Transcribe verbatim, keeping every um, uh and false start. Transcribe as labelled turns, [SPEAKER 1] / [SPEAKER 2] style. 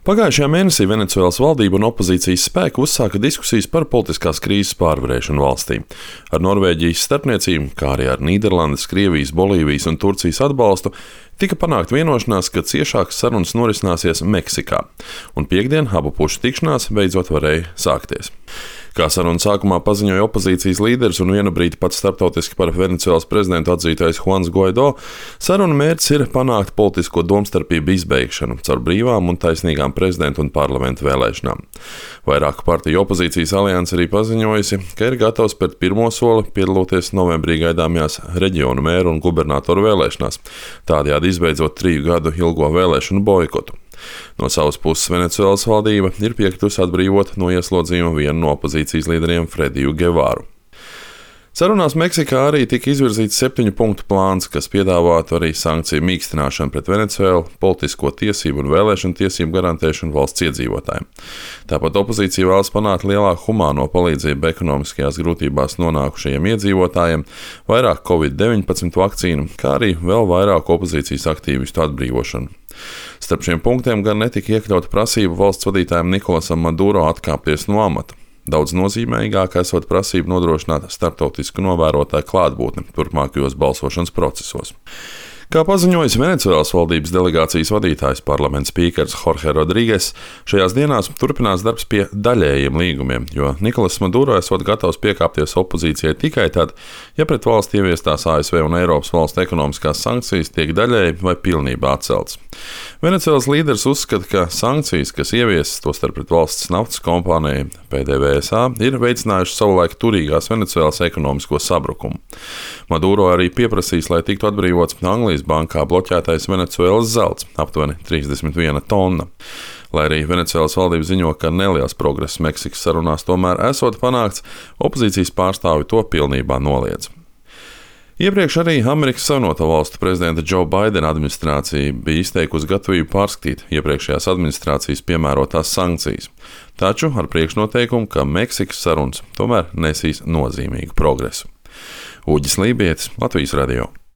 [SPEAKER 1] Pagājušajā mēnesī Venecuēlas valdība un opozīcijas spēki uzsāka diskusijas par politiskās krīzes pārvarēšanu valstī. Ar Norvēģijas starpniecību, kā arī ar Nīderlandes, Krievijas, Bolīvijas un Turcijas atbalstu, tika panākta vienošanās, ka ciešākas sarunas norisināsies Meksikā, un piektdien abu pušu tikšanās beidzot varēja sākties. Kā sarunu sākumā paziņoja opozīcijas līderis un vienu brīdi pats starptautiski par Venecuēlas prezidentu atzītais Juans Guaido, sarunu mērķis ir panākt politisko domstarpību izbeigšanu caur brīvām un taisnīgām prezidentu un parlamentu vēlēšanām. Vairāku partiju opozīcijas alianse arī paziņojusi, ka ir gatavs spērt pirmo soli piedaloties novembrī gaidāmajās reģionu mēru un gubernatoru vēlēšanās, tādējādi izbeidzot triju gadu ilgo vēlēšanu boikotu. No savas puses Venecuēlas valdība ir piekritusi atbrīvot no ieslodzījuma vienu no opozīcijas līderiem Frediju Gevāru. Sarunās Meksikā arī tika izvirzīts septiņu punktu plāns, kas piedāvātu arī sankciju mīkstināšanu pret Venecuēlu, politisko tiesību un vēlēšanu tiesību garantēšanu valsts iedzīvotājiem. Tāpat opozīcija vēlas panākt lielāku humāno palīdzību ekonomiskajās grūtībās nonākušajiem iedzīvotājiem, vairāk covid deviņpadsmit vakcīnu, kā arī vēl vairāk opozīcijas aktīvistu atbrīvošanu. Starp šiem punktiem gan netika iekļauta prasība valsts vadītājam Nikolasam Maduro atkāpties no amata. Daudz nozīmīgāk esot prasība nodrošināt starptautisku novērotāju klātbūtni turpmākajos balsošanas procesos. Kā paziņojis Venecuēlas valdības delegācijas vadītājs parlamenta spīkers Jorge Rodrīgues, šajās dienās turpinās darbs pie daļējiem līgumiem, jo Nikolas Maduro esot gatavs piekāpties opozīcijai tikai tad, ja pret valsti ieviestās A S V un Eiropas valstu ekonomiskās sankcijas tiek daļēji vai pilnībā atceltas. Venecuēlas līderis uzskata, ka sankcijas, kas ieviesas tostarp pret valsts naftas kompānijai P D V S A, ir veicinājušas savulaik turīgās Venecuēlas ekonomisko sabrukumu. Maduro arī pieprasīs, lai tiktu atbrīvots Anglijas bankā bloķētais Venecuēlas zelts, aptuveni trīsdesmit viena tonna. Lai arī Venecuēlas valdība ziņo, ka neliels progress Meksikas sarunās tomēr esot panākts, opozīcijas pārstāvi to pilnībā noliedz. Iepriekš arī Amerikas Savienoto Valstu prezidenta Džo Baidena administrācija bija izteikusi gatavību pārskatīt iepriekšējās administrācijas piemērotās sankcijas, taču ar priekšnoteikumu, ka Meksikas sarunas tomēr nesīs nozīmīgu progresu. Uģis Lībietis, Latvijas radio.